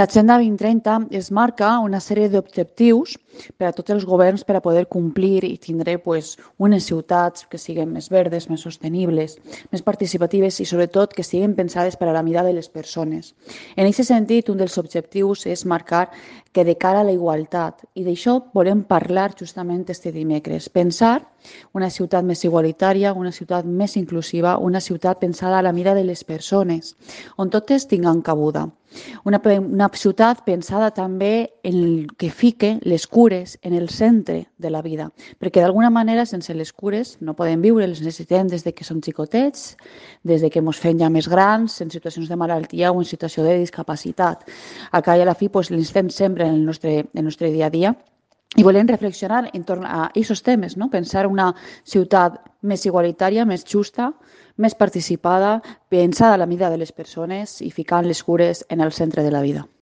L'Agenda 2030 es marca una sèrie d'objectius per a tots els governs per a poder complir i tindre unes ciutats que siguin més verdes, més sostenibles, més participatives i sobretot que siguin pensades per a la mida de les persones. En aquest sentit, un dels objectius és marcar que de cara a la igualtat, i d'això volem parlar justament este dimecres, pensar una ciutat més igualitària, una ciutat més inclusiva, una ciutat pensada a la mida de les persones, on totes tinguen cabuda. Una ciutat pensada també en que fique les cures en el centre de la vida, perquè d'alguna manera sense les cures no podem viure, les necessitem des de que som xicotets, des de que ens fem ja més grans, en situacions de malaltia o en situació de discapacitat. Al cap i a la fi les fem sempre en el nostre dia a dia. I volem reflexionar entorn a aquests temes, no? Pensar una ciutat més igualitària, més justa, més participada, pensada a la mida de les persones i ficant les cures en el centre de la vida.